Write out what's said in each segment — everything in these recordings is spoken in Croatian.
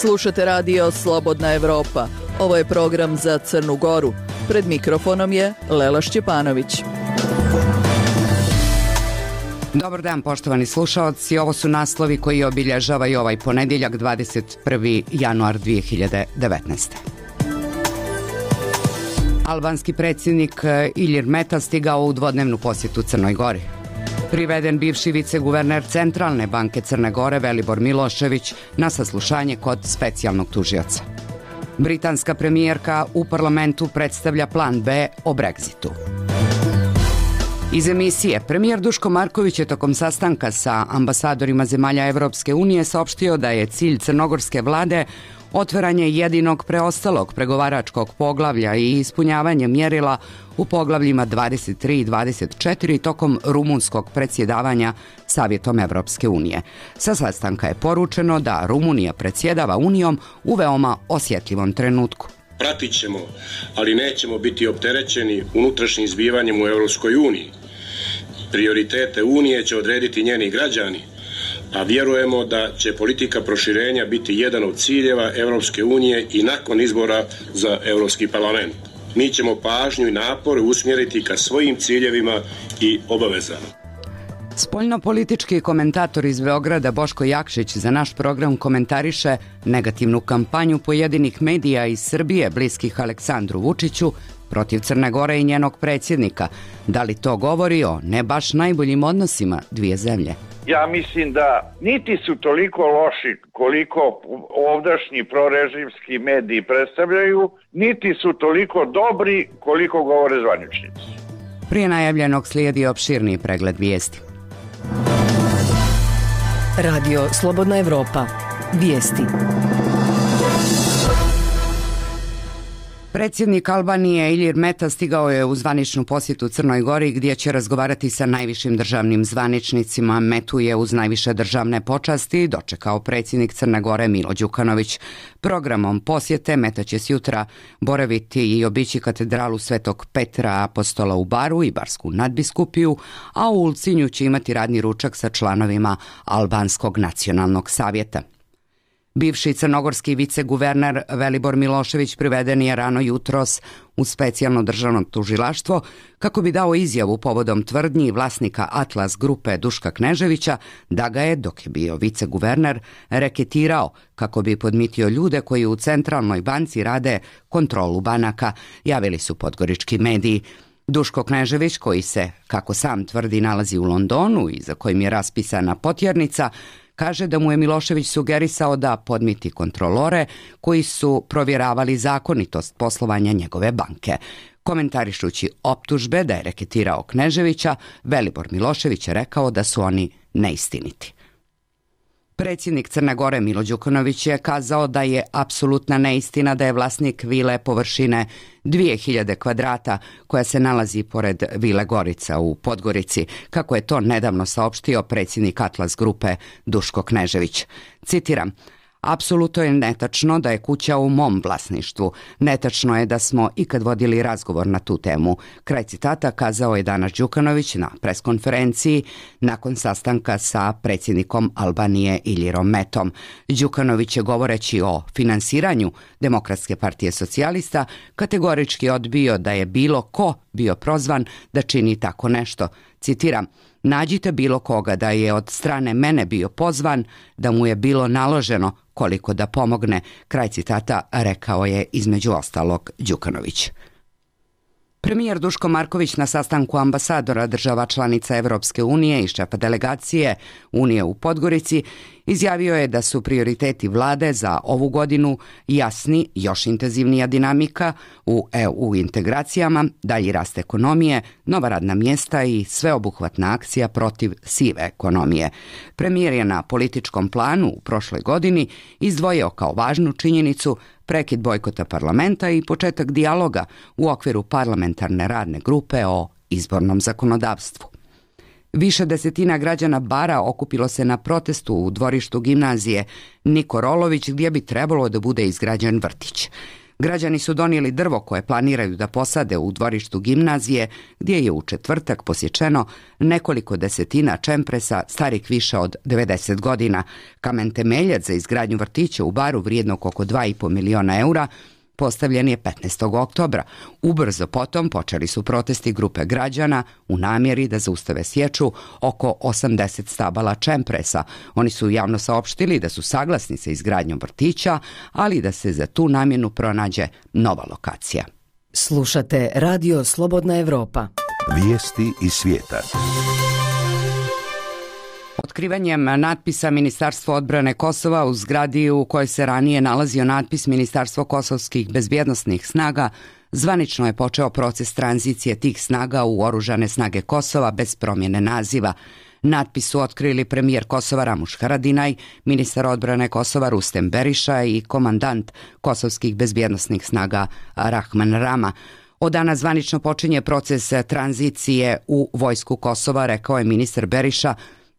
Slušate radio Slobodna Evropa. Ovo je program za Crnu Goru. Pred mikrofonom je Lela Šćepanović. Dobar dan, poštovani slušaoci. Ovo su naslovi koji obilježavaju ovaj ponedjeljak, 21. januar 2019. Albanski predsjednik Ilir Meta stigao u dvodnevnu posjetu Crnoj Gori. Priveden bivši viceguverner Centralne banke Crne Gore Velibor Milošević na saslušanje kod specijalnog tužioca. Britanska premijerka u parlamentu predstavlja plan B o Brexitu. Iz emisije, premijer Duško Marković je tokom sastanka sa ambasadorima zemalja Evropske unije saopštio da je cilj crnogorske vlade otvaranje jedinog preostalog pregovaračkog poglavlja i ispunjavanje mjerila u poglavljima 23 i 24 tokom rumunskog predsjedavanja Savjetom Evropske unije. Sa sastanka je poručeno da Rumunija predsjedava Unijom u veoma osjetljivom trenutku. Pratit ćemo, ali nećemo biti opterećeni unutrašnjim zbivanjem u Evropskoj uniji. Prioritete Unije će odrediti njeni građani, a vjerujemo da će politika proširenja biti jedan od ciljeva Evropske unije i nakon izbora za Evropski parlament. Mi ćemo pažnju i napore usmjeriti ka svojim ciljevima i obavezama. Spoljnopolitički komentator iz Beograda Boško Jakšić za naš program komentariše negativnu kampanju pojedinih medija iz Srbije bliskih Aleksandru Vučiću protiv Crne Gore i njenog predsjednika. Da li to govori o ne baš najboljim odnosima dvije zemlje? Ja mislim da niti su toliko loši koliko ovdašnji prorežimski mediji predstavljaju, niti su toliko dobri koliko govore zvaničnici. Prije najavljenog slijedi opširniji pregled vijesti. Radio Slobodna Evropa. Vijesti. Predsjednik Albanije Ilir Meta stigao je u zvaničnu posjetu Crnoj Gori gdje će razgovarati sa najvišim državnim zvaničnicima. Metu je uz najviše državne počasti dočekao predsjednik Crne Gore Milo Đukanović. Programom posjete Meta će sjutra boraviti i obići katedralu Svetog Petra Apostola u Baru i Barsku nadbiskupiju, a u Ulcinju će imati radni ručak sa članovima Albanskog nacionalnog savjeta. Bivši crnogorski viceguverner Velibor Milošević priveden je rano jutros u specijalno državno tužilaštvo kako bi dao izjavu povodom tvrdnji vlasnika Atlas grupe Duška Kneževića da ga je, dok je bio viceguverner, reketirao kako bi podmitio ljude koji u Centralnoj banci rade kontrolu banaka, javili su podgorički mediji. Duško Knežević, koji se, kako sam tvrdi, nalazi u Londonu i za kojim je raspisana potjernica, kaže da mu je Milošević sugerisao da podmiti kontrolore koji su provjeravali zakonitost poslovanja njegove banke. Komentarišući optužbe da je reketirao Kneževića, Velibor Milošević je rekao da su oni neistiniti. Predsjednik Crne Gore Milo Đukanović je kazao da je apsolutna neistina da je vlasnik vile površine 2000 kvadrata koja se nalazi pored vile Gorica u Podgorici, kako je to nedavno saopštio predsjednik Atlas grupe Duško Knežević. Citiram: apsolutno je netačno da je kuća u mom vlasništvu. Netačno je da smo ikad vodili razgovor na tu temu. Kraj citata kazao je danas Đukanović na preskonferenciji nakon sastanka sa predsjednikom Albanije Ilirom Metom. Đukanović je, govoreći o finansiranju Demokratske partije socijalista, kategorički odbio da je bilo ko bio prozvan da čini tako nešto. Citiram: nađite bilo koga da je od strane mene bio pozvan, da mu je bilo naloženo koliko da pomogne. Kraj citata rekao je između ostalog Đukanović. Premijer Duško Marković na sastanku ambasadora država članica Evropske unije i šefa delegacije Unije u Podgorici izjavio je da su prioriteti vlade za ovu godinu jasni, još intenzivnija dinamika u EU integracijama, dalji rast ekonomije, nova radna mjesta i sveobuhvatna akcija protiv sive ekonomije. Premijer je na političkom planu u prošloj godini izdvojio kao važnu činjenicu prekid bojkota parlamenta i početak dijaloga u okviru parlamentarne radne grupe o izbornom zakonodavstvu. Više desetina građana Bara okupilo se na protestu u dvorištu gimnazije Niko Rolović gdje bi trebalo da bude izgrađen vrtić. Građani su donijeli drvo koje planiraju da posade u dvorištu gimnazije, gdje je u četvrtak posječeno nekoliko desetina čempresa starih više od 90 godina. Kamen temeljac za izgradnju vrtića u Baru vrijednog oko 2,5 miliona eura postavljen je 15. oktobra. Ubrzo potom počeli su protesti grupe građana u namjeri da zaustave sječu oko 80 stabala čempresa. Oni su javno saopštili da su saglasni sa izgradnjom vrtića, ali da se za tu namjenu pronađe nova lokacija. Slušate Radio Slobodna Evropa. Vijesti iz svijeta. Otkrivanjem natpisa Ministarstvo odbrane Kosova u zgradi u kojoj se ranije nalazio natpis Ministarstvo kosovskih bezbjednosnih snaga, zvanično je počeo proces tranzicije tih snaga u oružane snage Kosova bez promjene naziva. Natpis su otkrili premijer Kosova Ramuš Haradinaj, ministar odbrane Kosova Rustem Beriša i komandant kosovskih bezbjednosnih snaga Rahman Rama. Od dana zvanično počinje proces tranzicije u vojsku Kosova, rekao je ministar Beriša,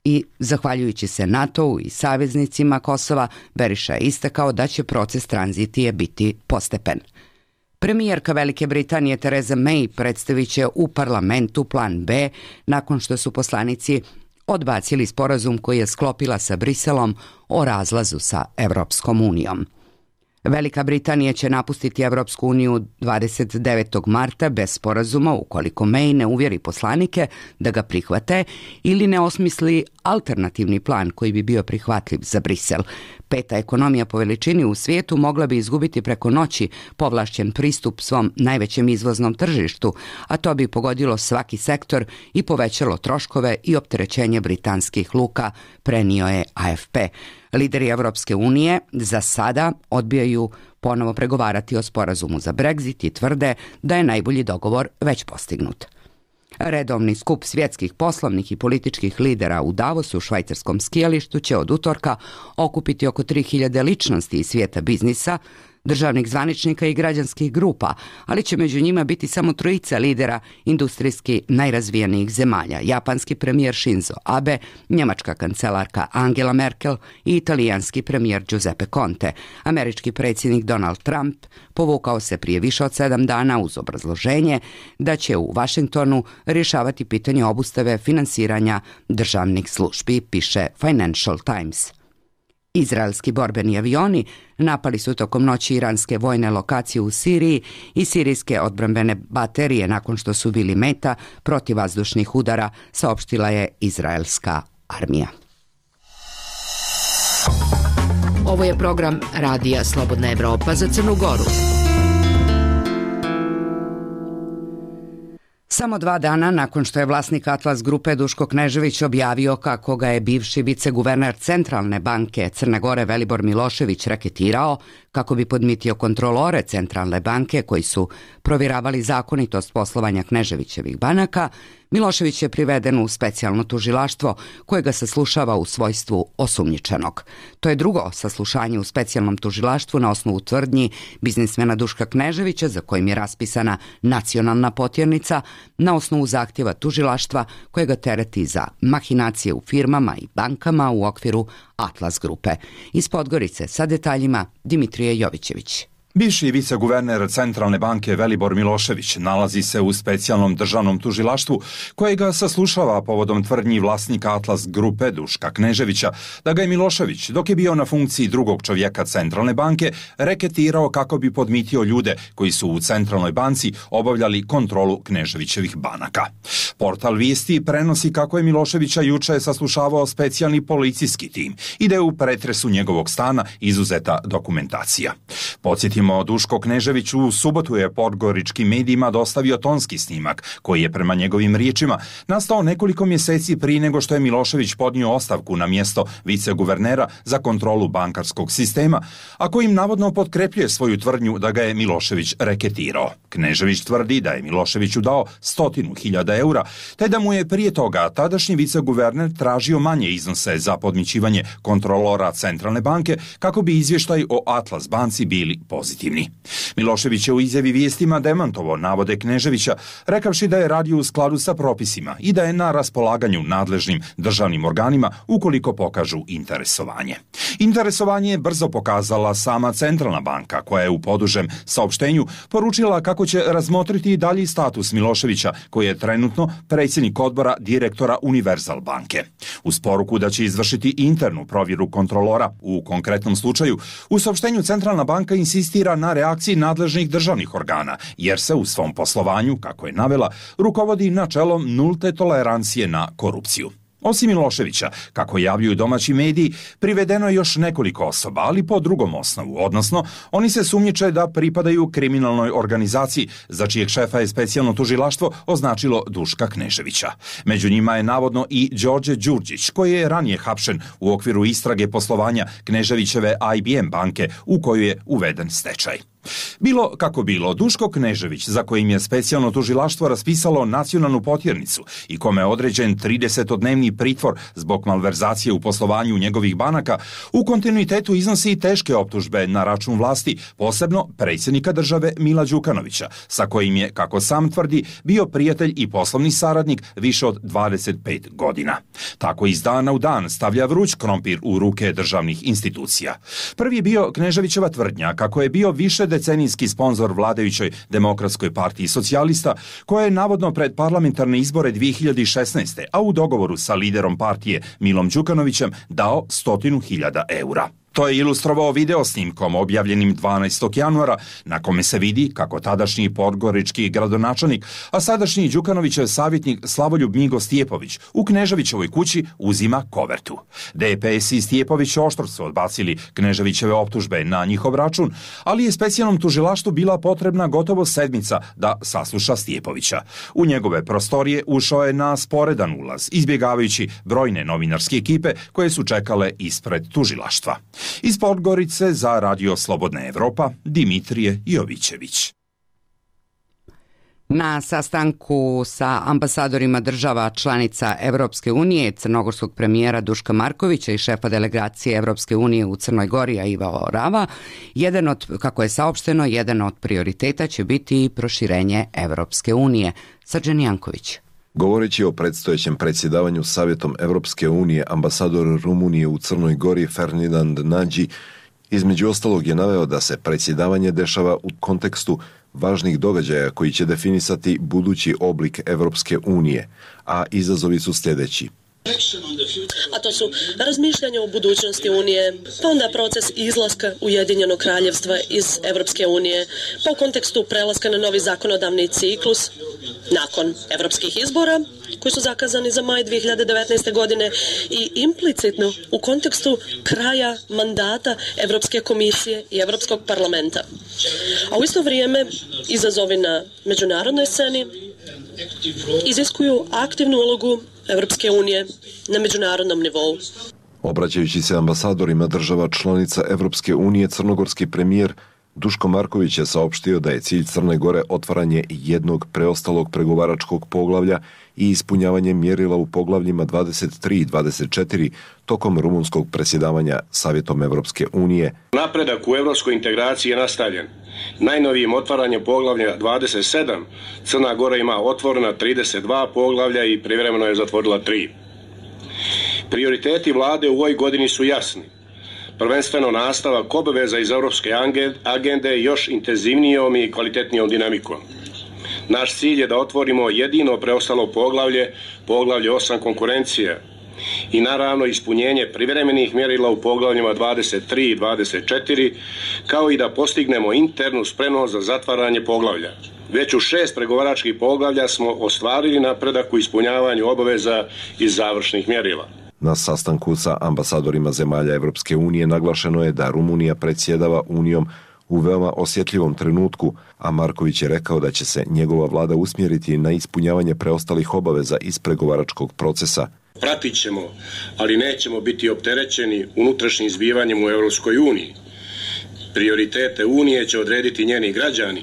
i zahvaljujući se NATO-u i saveznicima Kosova, Beriša je istakao da će proces tranzicije biti postepen. Premijerka Velike Britanije Theresa May predstavit će u parlamentu plan B nakon što su poslanici odbacili sporazum koji je sklopila sa Briselom o razlazu sa Evropskom unijom. Velika Britanija će napustiti Evropsku uniju 29. marta bez sporazuma ukoliko May ne uvjeri poslanike da ga prihvate ili ne osmisli alternativni plan koji bi bio prihvatljiv za Brisel. Peta ekonomija po veličini u svijetu mogla bi izgubiti preko noći povlašćen pristup svom najvećem izvoznom tržištu, a to bi pogodilo svaki sektor i povećalo troškove i opterećenje britanskih luka, prenio je AFP. Lideri Evropske unije za sada odbijaju ponovo pregovarati o sporazumu za Brexit i tvrde da je najbolji dogovor već postignut. Redovni skup svjetskih poslovnih i političkih lidera u Davosu, švajcarskom skijalištu, će od utorka okupiti oko 3000 ličnosti iz svijeta biznisa, državnih zvaničnika i građanskih grupa, ali će među njima biti samo 3 lidera industrijski najrazvijenijih zemalja: japanski premijer Shinzo Abe, njemačka kancelarka Angela Merkel i italijanski premijer Giuseppe Conte. Američki predsjednik Donald Trump povukao se prije više od 7 dana uz obrazloženje da će u Washingtonu rješavati pitanje obustave finansiranja državnih službi, piše Financial Times. Izraelski borbeni avioni napali su tokom noći iranske vojne lokacije u Siriji i sirijske odbrambene baterije nakon što su bili meta protivvazdušnih udara, saopštila je izraelska armija. Ovo je program Radija Slobodna Evropa za Crnu Goru. Samo 2 dana nakon što je vlasnik Atlas grupe Duško Knežević objavio kako ga je bivši viceguverner Centralne banke Crne Gore Velibor Milošević reketirao kako bi podmitio kontrolore Centralne banke koji su provjeravali zakonitost poslovanja Kneževićevih banaka, Milošević je priveden u specijalno tužilaštvo koje ga saslušava u svojstvu osumnjičenog. To je drugo saslušanje u specijalnom tužilaštvu na osnovu tvrdnji biznismena Duška Kneževića, za kojim je raspisana nacionalna potjernica, na osnovu zahtjeva tužilaštva koje ga tereti za mahinacije u firmama i bankama u okviru Atlas grupe. Iz Podgorice sa detaljima Dimitrije Jovićević. Bivši viceguverner Centralne banke Velibor Milošević nalazi se u specijalnom državnom tužilaštvu koje ga saslušava povodom tvrdnji vlasnika Atlas grupe Duška Kneževića da ga je Milošević, dok je bio na funkciji drugog čovjeka Centralne banke, reketirao kako bi podmitio ljude koji su u Centralnoj banci obavljali kontrolu Kneževićevih banaka. Portal Vijesti prenosi kako je Miloševića juče saslušavao specijalni policijski tim i da je u pretresu njegovog stana izuzeta dokumentacija. Podsjetimo, Duško Knežević u subotu je podgoričkim medijima dostavio tonski snimak koji je prema njegovim riječima nastao nekoliko mjeseci prije nego što je Milošević podnio ostavku na mjesto viceguvernera za kontrolu bankarskog sistema, a kojim navodno potkrepljuje svoju tvrdnju da ga je Milošević reketirao. Knežević tvrdi da je Miloševiću dao 100.000 eura, te da mu je prije toga tadašnji viceguverner tražio manje iznose za podmićivanje kontrolora Centralne banke kako bi izvještaj o Atlas banci bili pozitivni. pozitivni. Milošević je u izjavi vijestima demantovao navode Kneževića, rekavši da je radio u skladu sa propisima i da je na raspolaganju nadležnim državnim organima ukoliko pokažu interesovanje. Interesovanje je brzo pokazala sama Centralna banka, koja je u podužem saopštenju poručila kako će razmotriti i dalji status Miloševića, koji je trenutno predsjednik odbora direktora Univerzal banke. Uz poruku da će izvršiti internu provjeru kontrolora u konkretnom slučaju, u saopštenju Centralna banka insistira na reakciji nadležnih državnih organa, jer se u svom poslovanju, kako je navela, rukovodi načelom nulte tolerancije na korupciju. Osim Miloševića, kako javljuju domaći mediji, privedeno je još nekoliko osoba, ali po drugom osnovu, odnosno oni se sumnjiče da pripadaju kriminalnoj organizaciji, za čijeg šefa je specijalno tužilaštvo označilo Duška Kneževića. Među njima je navodno i Đorđe Đurđić, koji je ranije hapšen u okviru istrage poslovanja Kneževićeve IBM banke, u koju je uveden stečaj. Bilo kako bilo, Duško Knežević, za kojim je specijalno tužilaštvo raspisalo nacionalnu potjernicu i kome je određen 30-dnevni pritvor zbog malverzacije u poslovanju njegovih banaka, u kontinuitetu iznosi i teške optužbe na račun vlasti, posebno predsjednika države Mila Đukanovića, sa kojim je, kako sam tvrdi, bio prijatelj i poslovni saradnik više od 25 godina. Tako iz dana u dan stavlja vruć krompir u ruke državnih institucija. Prvi je bio Kneževićeva tvrdnja kako je bio više decenijski sponzor vladajućoj Demokratskoj partiji socijalista, koja je navodno pred parlamentarne izbore 2016. a u dogovoru sa liderom partije Milom Đukanovićem dao 100.000 eura. To je ilustrovao video snimkom objavljenim 12. januara, na kome se vidi kako tadašnji podgorički gradonačelnik, a sadašnji Đukanovićev savjetnik Slavoljub Migo Stjepović u Kneževićevoj kući uzima kovertu. DPS i Stjepović oštro su odbacili Kneževićeve optužbe na njihov račun, ali je specijalnom tužilaštvu bila potrebna gotovo sedmica da sasluša Stjepovića. U njegove prostorije ušao je na sporedan ulaz, izbjegavajući brojne novinarske ekipe koje su čekale ispred tužilaštva. Iz Podgorice za Radio Slobodna Evropa, Dimitrije Jovićević. Na sastanku sa ambasadorima država članica Evropske unije, crnogorskog premijera Duška Markovića i šefa delegacije Evropske unije u Crnoj Gori Iva Orava, kako je saopšteno, jedan od prioriteta će biti proširenje Evropske unije. Srđan Janković. Govoreći o predstojećem predsjedavanju Savjetom Evropske unije, ambasador Rumunije u Crnoj Gori Ferdinand Nađi između ostalog je naveo da se predsjedavanje dešava u kontekstu važnih događaja koji će definisati budući oblik Evropske unije, a izazovi su sljedeći. A to su razmišljanja o budućnosti Unije, pa onda proces izlaska Ujedinjenog kraljevstva iz Evropske unije, pa u kontekstu prelaska na novi zakonodavni ciklus nakon evropskih izbora koji su zakazani za maj 2019. godine i implicitno u kontekstu kraja mandata Evropske komisije i Evropskog parlamenta. A u isto vrijeme izazovi na međunarodnoj sceni iziskuju aktivnu ulogu Evropske unije na međunarodnom nivou. Obraćajući se ambasadorima država članica Evropske unije, crnogorski premijer Duško Marković je saopštio da je cilj Crne Gore otvaranje jednog preostalog pregovaračkog poglavlja i ispunjavanje mjerila u poglavljima 23 i 24 tokom rumunskog predsjedavanja Savjetom Evropske unije. Napredak u evropskoj integraciji je nastavljen. Najnovijim otvaranjem poglavlja 27 Crna Gora ima otvorena 32 poglavlja i privremeno je zatvorila 3. Prioriteti vlade u ovoj godini su jasni. Prvenstveno nastavak obaveza iz europske agende još intenzivnijom i kvalitetnijom dinamikom. Naš cilj je da otvorimo jedino preostalo poglavlje 8 konkurencije i naravno ispunjenje privremenih mjerila u poglavljima 23 i 24, kao i da postignemo internu spremnost za zatvaranje poglavlja. Već u 6 pregovaračkih poglavlja smo ostvarili napredak u ispunjavanju obaveza iz završnih mjerila. Na sastanku sa ambasadorima zemalja Evropske unije naglašeno je da Rumunija predsjedava Unijom u veoma osjetljivom trenutku, a Marković je rekao da će se njegova vlada usmjeriti na ispunjavanje preostalih obaveza iz pregovaračkog procesa. Pratit ćemo, ali nećemo biti opterećeni unutrašnjim zbivanjem u Evropskoj uniji. Prioritete Unije će odrediti njeni građani,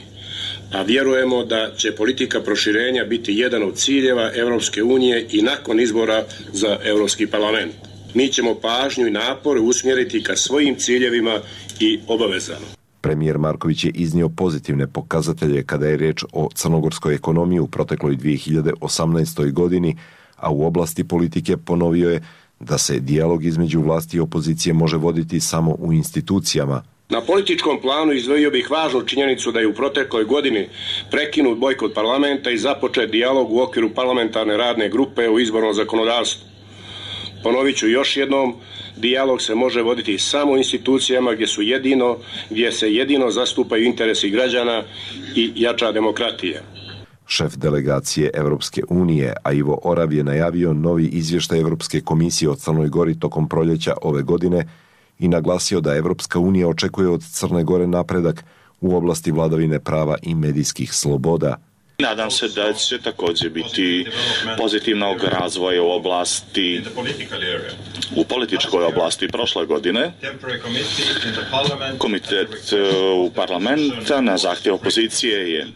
a vjerujemo da će politika proširenja biti jedan od ciljeva Evropske unije i nakon izbora za Evropski parlament. Mi ćemo pažnju i napore usmjeriti ka svojim ciljevima i obavezama. Premijer Marković je iznio pozitivne pokazatelje kada je riječ o crnogorskoj ekonomiji u protekloj 2018. godini, a u oblasti politike ponovio je da se dijalog između vlasti i opozicije može voditi samo u institucijama. Na političkom planu izdvojio bih važnu činjenicu da je u protekloj godini prekinut bojkot parlamenta i započet dijalog u okviru parlamentarne radne grupe o izbornom zakonodavstvu. Ponovit ću još jednom, dijalog se može voditi samo u institucijama gdje se jedino zastupaju interesi građana i jača demokratija. Šef delegacije Evropske unije, a Ivo Orav, je najavio novi izvještaj Evropske komisije o Crnoj Gori tokom proljeća ove godine i naglasio da Evropska unija očekuje od Crne Gore napredak u oblasti vladavine prava i medijskih sloboda. Nadam se da će također biti pozitivnog razvoja u političkoj oblasti prošle godine. Komitet u parlamenta na zahtjev opozicije je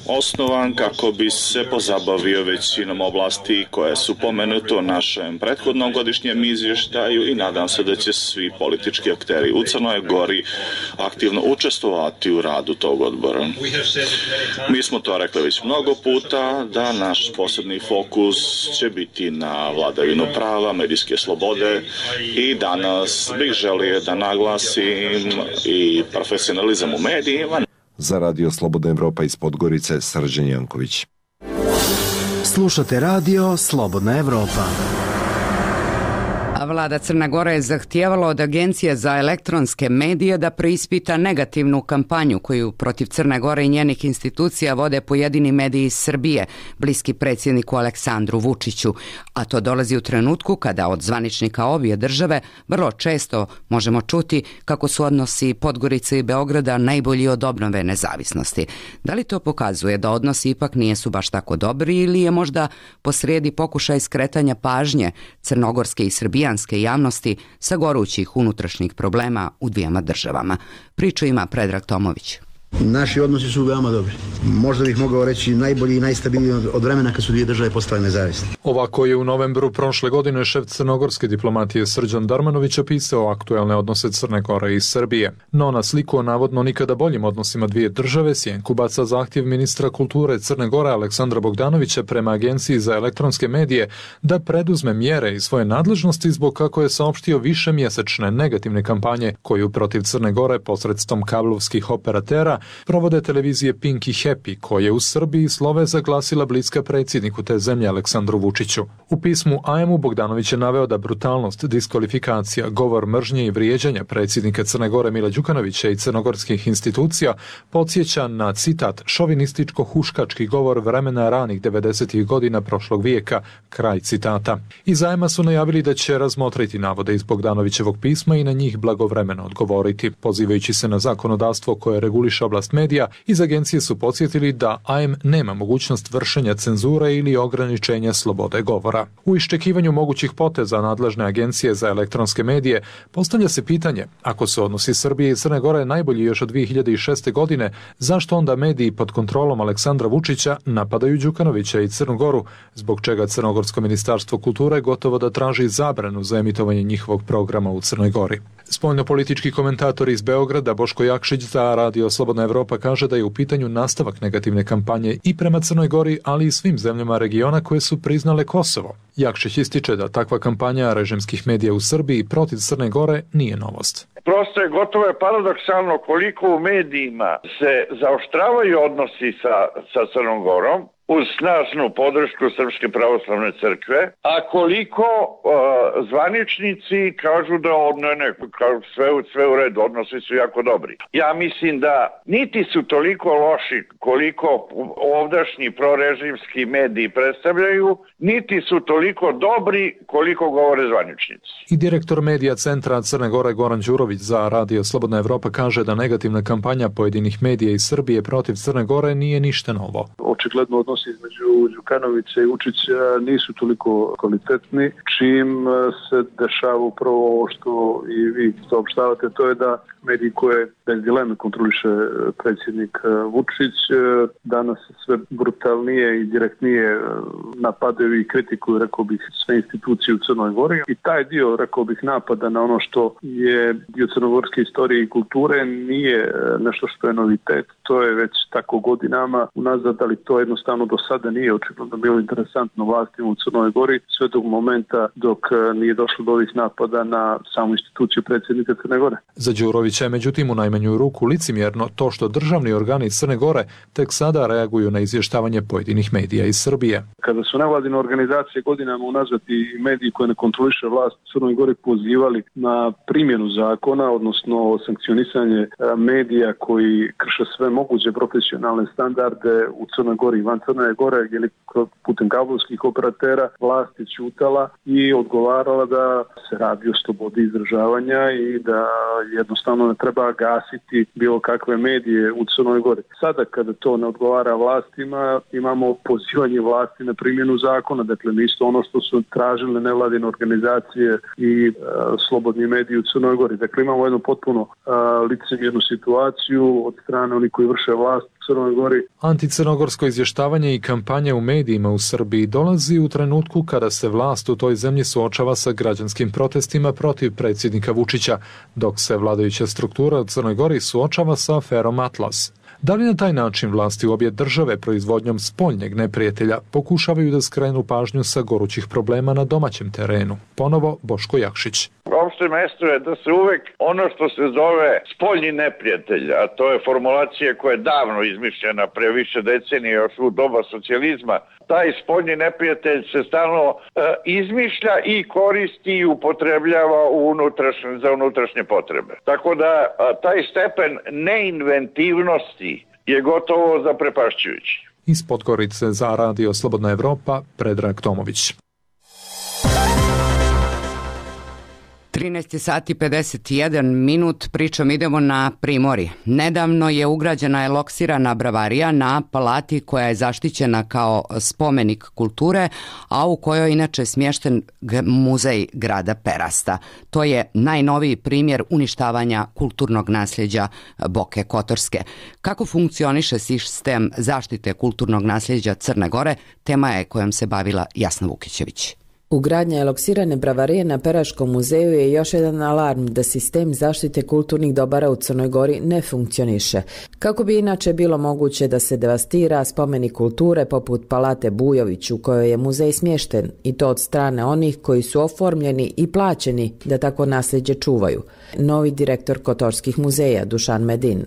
osnovan kako bi se pozabavio većinom oblasti koje su pomenute u našem prethodnom godišnjem izvještaju i nadam se da će svi politički akteri u Crnoj Gori aktivno učestvovati u radu tog odbora. Mi smo to rekli već mnogo puta da naš posebni fokus će biti na vladavinu prava, medijske slobode i danas bih želio da naglasim i profesionalizam u medijima. Za Radio Slobodna Evropa iz Podgorice, Srđan Janković. Slušate Radio Slobodna Evropa. A vlada Crne Gore je zahtijevala od Agencije za elektronske medije da preispita negativnu kampanju koju protiv Crne Gore i njenih institucija vode pojedini mediji iz Srbije, bliski predsjedniku Aleksandru Vučiću, a to dolazi u trenutku kada od zvaničnika obje države vrlo često možemo čuti kako su odnosi Podgorice i Beograda najbolji od obnove nezavisnosti. Da li to pokazuje da odnosi ipak nisu baš tako dobri ili je možda posrijedi pokušaj skretanja pažnje crnogorske i srbijanske javnosti sa gorućih unutrašnjih problema u dvijema državama? Priču ima Predrag Tomović. Naši odnosi su veoma dobri. Možda bih mogao reći najbolji i najstabilniji od vremena kad su dvije države postale nezavisne. Ovako je u novembru prošle godine šef crnogorske diplomatije Srđan Darmanović opisao aktuelne odnose Crne Gore i Srbije. No na sliku o navodno nikada boljim odnosima dvije države sjenku baca zahtjev ministra kulture Crne Gore Aleksandra Bogdanovića prema Agenciji za elektronske medije da preduzme mjere iz svoje nadležnosti zbog, kako je saopštio, višemjesečne negativne kampanje koju protiv Crne Gore posredstvom kablovskih operatera provode televizije Pink i Happy, koje u Srbiji slove zaglasila bliska predsjedniku te zemlje Aleksandru Vučiću. U pismu AM-u Bogdanović je naveo da brutalnost, diskvalifikacija, govor mržnje i vrijeđanja predsjednika Crne Gore Mila Đukanovića i crnogorskih institucija podsjeća na, citat, šovinističko-huškački govor vremena ranih 90. godina prošlog vijeka, kraj citata. Iz AM-a su najavili da će razmotriti navode iz Bogdanovićevog pisma i na njih blagovremeno odgovoriti. Pozivajući se na zakonodavstvo koje reguliše oblast medija, iz agencije su podsjetili da AM nema mogućnost vršenja cenzure ili ograničenja slobode govora. U iščekivanju mogućih poteza nadležne agencije za elektronske medije postavlja se pitanje, ako su odnosi Srbije i Crne Gore najbolji još od 2006. godine, zašto onda mediji pod kontrolom Aleksandra Vučića napadaju Đukanovića i Crnu Goru, zbog čega Crnogorsko ministarstvo kulture gotovo da traži zabranu za emitovanje njihovog programa u Crnoj Gori. Spoljnopolitički komentator iz Beograda Boško Jakšić za Radio Slobodna Evropa kaže da je u pitanju nastavak negativne kampanje i prema Crnoj Gori, ali i svim zemljama regiona koje su priznale Kosovo. Jakšić ističe da takva kampanja režimskih medija u Srbiji protiv Crne Gore nije novost. Prosto je gotovo je paradoksalno koliko u medijima se zaoštravaju odnosi sa Crnom Gorom uz snažnu podršku Srpske pravoslavne crkve, a koliko zvaničnici kažu da sve u redu, odnosi su jako dobri. Ja mislim da niti su toliko loši koliko ovdašnji prorežimski mediji predstavljaju, niti su toliko dobri koliko govore zvaničnici. I direktor medija Centra Crne Gore Goran Đurović za Radio Slobodna Evropa kaže da negativna kampanja pojedinih medija iz Srbije protiv Crne Gore nije ništa novo. Očigledno odnosi odnosi između Đukanovića i Vučića nisu toliko kvalitetni, čim se dešava upravo ovo što i vi saopštavate, to je da mediji koje bez dileme kontroliše predsjednik Vučić danas sve brutalnije i direktnije napadaju i kritikuju, rekao bih, sve institucije u Crnoj Gori. I taj dio, rekao bih, napada na ono što je dio crnogorske istorije i kulture nije nešto što je novitet. To je već tako godinama unazad, ali to jednostavno do sada nije očigledno bilo interesantno vlastima u Crnoj Gori, sve do momenta dok nije došlo do ovih napada na samu instituciju predsjednika Crne Gore. Za Đurovića je međutim u najmanju ruku licemjerno to što državni organi Crne Gore tek sada reaguju na izvještavanje pojedinih medija iz Srbije. Kada su nevladine organizacije godinama unazad i mediji koje ne kontroliše vlast u Crnoj Gori pozivali na primjenu zakona, odnosno sankcionisanje medija koji krše sve moguće profesionalne standarde u Crnoj Gori i van Crne Gore ili putem kablovskih operatera, vlast je ćutala i odgovarala da se radi o slobodi izražavanja i da jednostavno ne treba gasiti bilo kakve medije u Crnoj Gori. Sada kada to ne odgovara vlastima, imamo pozivanje vlasti na primjenu zakona, dakle nisto ono što su tražile nevladine organizacije i slobodni mediji u Crnoj Gori. Dakle imamo jednu potpuno licemjernu situaciju od strane onih koji vrše vlast u Crnoj Gori. Anticrnogorsko izvještavanje i kampanja u medijima u Srbiji dolazi u trenutku kada se vlast u toj zemlji suočava sa građanskim protestima protiv predsjednika Vučića, dok se vladajuća struktura u Crnoj Gori suočava sa aferom Atlas. Da li na taj način vlasti u obje države proizvodnjom spoljnjeg neprijatelja pokušavaju da skrenu pažnju sa gorućih problema na domaćem terenu? Ponovo Boško Jakšić. Opšte mesto je da se uvek ono što se zove spoljni neprijatelj, a to je formulacija koja je davno izmišljena pre više decenije još u doba socijalizma, taj spoljni neprijatelj se stalno izmišlja i koristi i upotrebljava za unutrašnje potrebe. Tako da taj stepen neinventivnosti je gotovo zaprepašćujući. Iz Podgorice za Radio Slobodna Evropa, Predrag Tomović. 13 sati 51 minut, pričom idemo na Primorje. Nedavno je ugrađena eloksirana bravarija na palati koja je zaštićena kao spomenik kulture, a u kojoj inače smješten muzej grada Perasta. To je najnoviji primjer uništavanja kulturnog nasljeđa Boke Kotorske. Kako funkcioniše sistem zaštite kulturnog nasljeđa Crne Gore, tema je kojom se bavila Jasna Vukićević. Ugradnja eloksirane bravarije na Peraškom muzeju je još jedan alarm da sistem zaštite kulturnih dobara u Crnoj Gori ne funkcioniše. Kako bi inače bilo moguće da se devastira spomenik kulture poput Palate Bujović u kojoj je muzej smješten, i to od strane onih koji su oformljeni i plaćeni da tako nasljeđe čuvaju. Novi direktor Kotorskih muzeja Dušan Medin.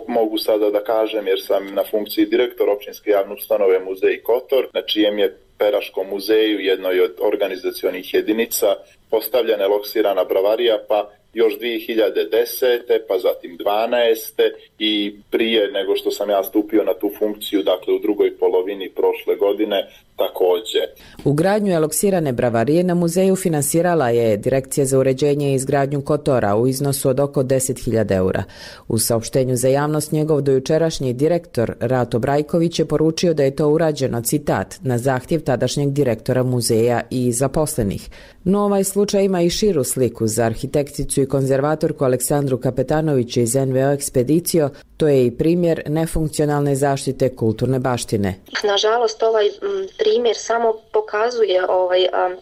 Mogu sada da kažem jer sam na funkciji direktor općinske javne ustanove Muzej Kotor, na čijem je Peraškom muzeju, jednoj od organizacionih jedinica, postavljena eloksirana bravarija, pa još 2010. pa zatim 12. i prije nego što sam ja stupio na tu funkciju, dakle u drugoj polovini prošle godine, također. Ugradnju eloksirane bravarije na muzeju finansirala je Direkcija za uređenje i izgradnju Kotora u iznosu od oko 10.000 eura. U saopštenju za javnost njegov dojučerašnji direktor Rato Brajković je poručio da je to urađeno, citat, na zahtjev tadašnjeg direktora muzeja i zaposlenih. No ovaj slučaj ima i širu sliku. Za arhitekticu i konzervatorku Aleksandru Kapetanović iz NVO Ekspedicio to je i primjer nefunkcionalne zaštite kulturne baštine. Nažalost, ovaj primjer samo pokazuje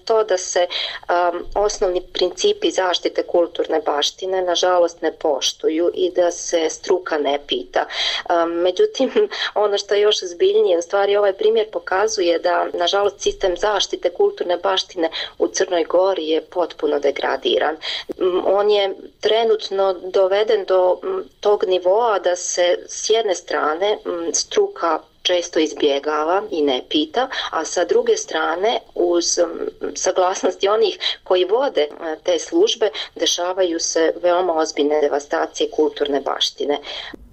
to da se osnovni principi zaštite kulturne baštine nažalost ne poštuju i da se struka ne pita. Međutim, ono što je još zbiljnije, u stvari ovaj primjer pokazuje da nažalost sistem zaštite kulturne baštine u Crnoj Gori je potpuno degradiran. On je trenutno doveden do tog nivoa da se s jedne strane struka često izbjegava i ne pita, a sa druge strane uz saglasnosti onih koji vode te službe dešavaju se veoma ozbiljne devastacije kulturne baštine.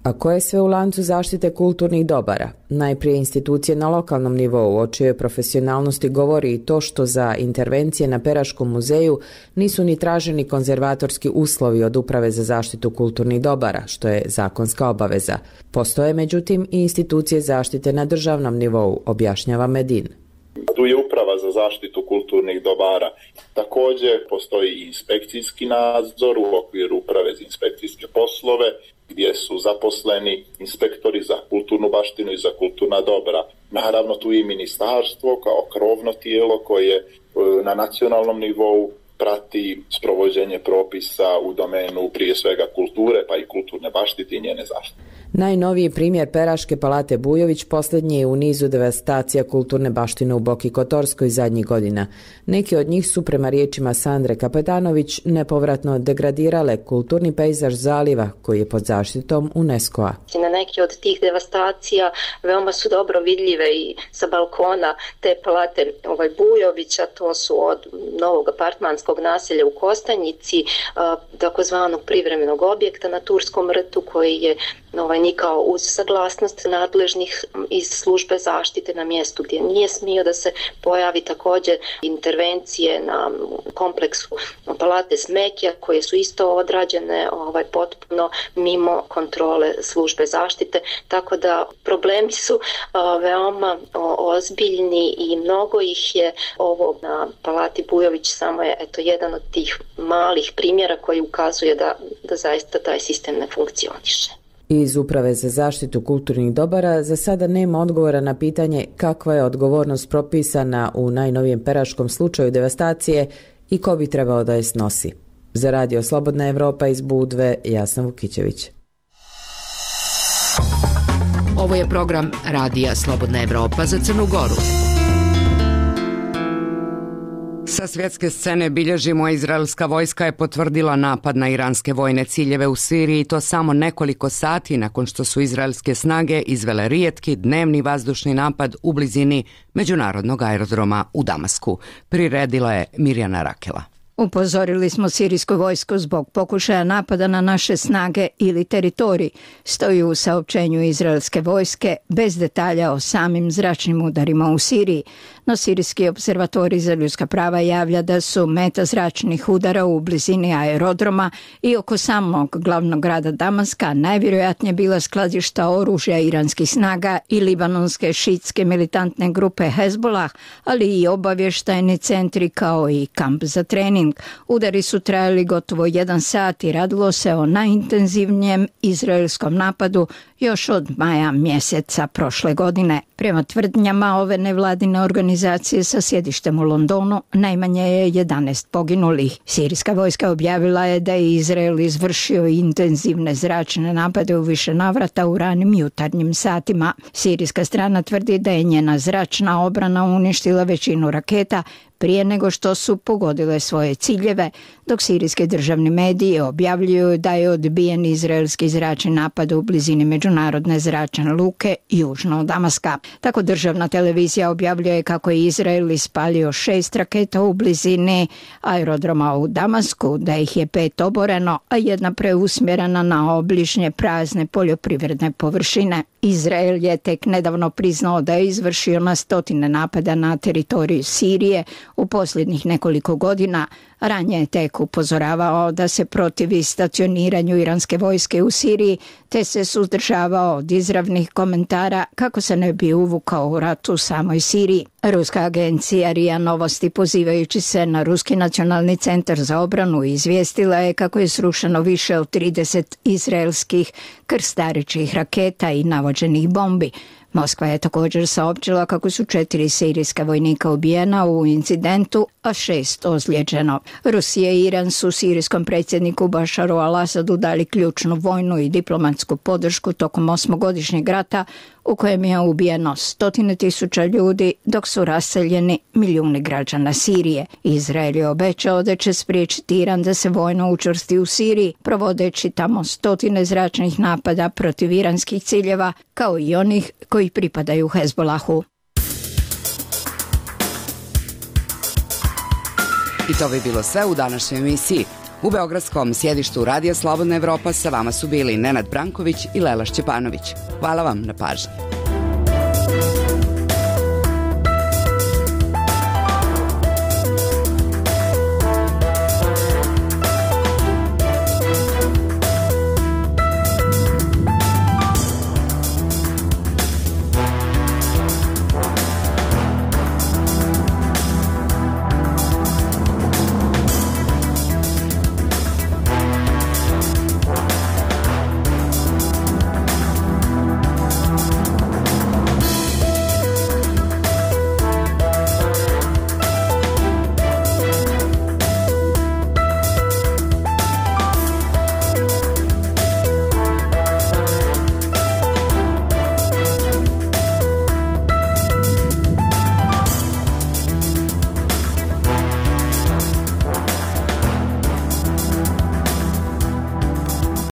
A koje je sve u lancu zaštite kulturnih dobara? Najprije institucije na lokalnom nivou, o čijoj profesionalnosti govori i to što za intervencije na Peraškom muzeju nisu ni traženi konzervatorski uslovi od Uprave za zaštitu kulturnih dobara, što je zakonska obaveza. Postoje međutim i institucije zaštite na državnom nivou, objašnjava Medin. Tu je Uprava za zaštitu kulturnih dobara. Također postoji i inspekcijski nadzor u okviru Uprave za inspekcijske poslove, gdje su zaposleni inspektori za kulturnu baštinu i za kulturna dobra. Naravno tu i ministarstvo kao krovno tijelo koje na nacionalnom nivou prati sprovođenje propisa u domenu prije svega kulture pa i kulturne baštine i njene zaštite. Najnoviji primjer Peraške palate Bujović posljednji je u nizu devastacija kulturne baštine u Boki Kotorskoj zadnjih godina. Neki od njih su, prema riječima Sandre Kapetanović, nepovratno degradirale kulturni pejzaž zaliva koji je pod zaštitom UNESCO-a. Na neki od tih devastacija veoma su dobro vidljive i sa balkona te palate Bujovića, to su od novog apartmanskog naselja u Kostanjici, takozvanog privremenog objekta na Turskom rtu koji je nikao uz saglasnost nadležnih iz službe zaštite na mjestu gdje nije smio da se pojavi, također intervencije na kompleksu palate Smekija koje su isto odrađene potpuno mimo kontrole službe zaštite, tako da problemi su veoma ozbiljni i mnogo ih je. Ovo na palati Bujović samo je jedan od tih malih primjera koji ukazuje da zaista taj sistem ne funkcioniše. Iz Uprave za zaštitu kulturnih dobara za sada nema odgovora na pitanje kakva je odgovornost propisana u najnovijem peraškom slučaju devastacije i ko bi trebao da je snosi. Za Radio Slobodna Evropa iz Budve, Jasna Vukićević. Ovo je program Radija Slobodna Evropa za Crnu Goru. Sa svjetske scene bilježimo, izraelska vojska je potvrdila napad na iranske vojne ciljeve u Siriji i to samo nekoliko sati nakon što su izraelske snage izvele rijetki dnevni vazdušni napad u blizini međunarodnog aerodroma u Damasku. Priredila je Mirjana Rakela. Upozorili smo sirijsku vojsku zbog pokušaja napada na naše snage ili teritorij, stoji u saopćenju izraelske vojske bez detalja o samim zračnim udarima u Siriji. No Sirijski observatorij za ljudska prava javlja da su meta zračnih udara u blizini aerodroma i oko samog glavnog grada Damaska najvjerojatnije bila skladišta oružja iranskih snaga i libanonske šitske militantne grupe Hezbollah, ali i obavještajni centri kao i kamp za trening. Udari su trajali gotovo 1 sat i radilo se o najintenzivnijem izraelskom napadu još od maja mjeseca prošle godine. Prema tvrdnjama ove nevladine organizacije sa sjedištem u Londonu, najmanje je 11 poginulih. Sirijska vojska objavila je da je Izrael izvršio intenzivne zračne napade u više navrata u ranim jutarnjim satima. Sirijska strana tvrdi da je njena zračna obrana uništila većinu raketa prije nego što su pogodile svoje ciljeve, dok sirijski državni mediji objavljuju da je odbijen izraelski zračni napad u blizini međunarodne zračne luke južno od Damaska. Tako državna televizija objavljuje kako je Izrael ispalio 6 raketa u blizini aerodroma u Damasku, da ih je 5 oboreno, a 1 preusmjerena na obližnje prazne poljoprivredne površine. Izrael je tek nedavno priznao da je izvršio na stotine napada na teritoriju Sirije u posljednjih nekoliko godina. Ranije je tek upozoravao da se protivi stacioniranju iranske vojske u Siriji, te se suzdržavao od izravnih komentara kako se ne bi uvukao u rat u samoj Siriji. Ruska agencija RIA Novosti, pozivajući se na Ruski nacionalni centar za obranu, izvijestila je kako je srušeno više od 30 izraelskih krstaričih raketa i navođenih bombi. Moskva je također saopćila kako su 4 sirijska vojnika ubijena u incidentu, a 6 ozlijeđeno. Rusija i Iran su sirijskom predsjedniku Bašaru al-Asadu dali ključnu vojnu i diplomatsku podršku tokom 8-godišnjeg rata u kojem je ubijeno 100.000 ljudi, dok su raseljeni milijuni građana Sirije. Izrael je obećao da će spriječiti Iran da se vojno učvrsti u Siriji, provodeći tamo 100 zračnih napada protiv iranskih ciljeva, kao i onih koji pripadaju Hezbollahu. I to bi bilo sve u današnjoj emisiji. U beogradskom sjedištu Radija Slobodna Evropa sa vama su bili Nenad Branković i Lela Šćepanović. Hvala vam na pažnji.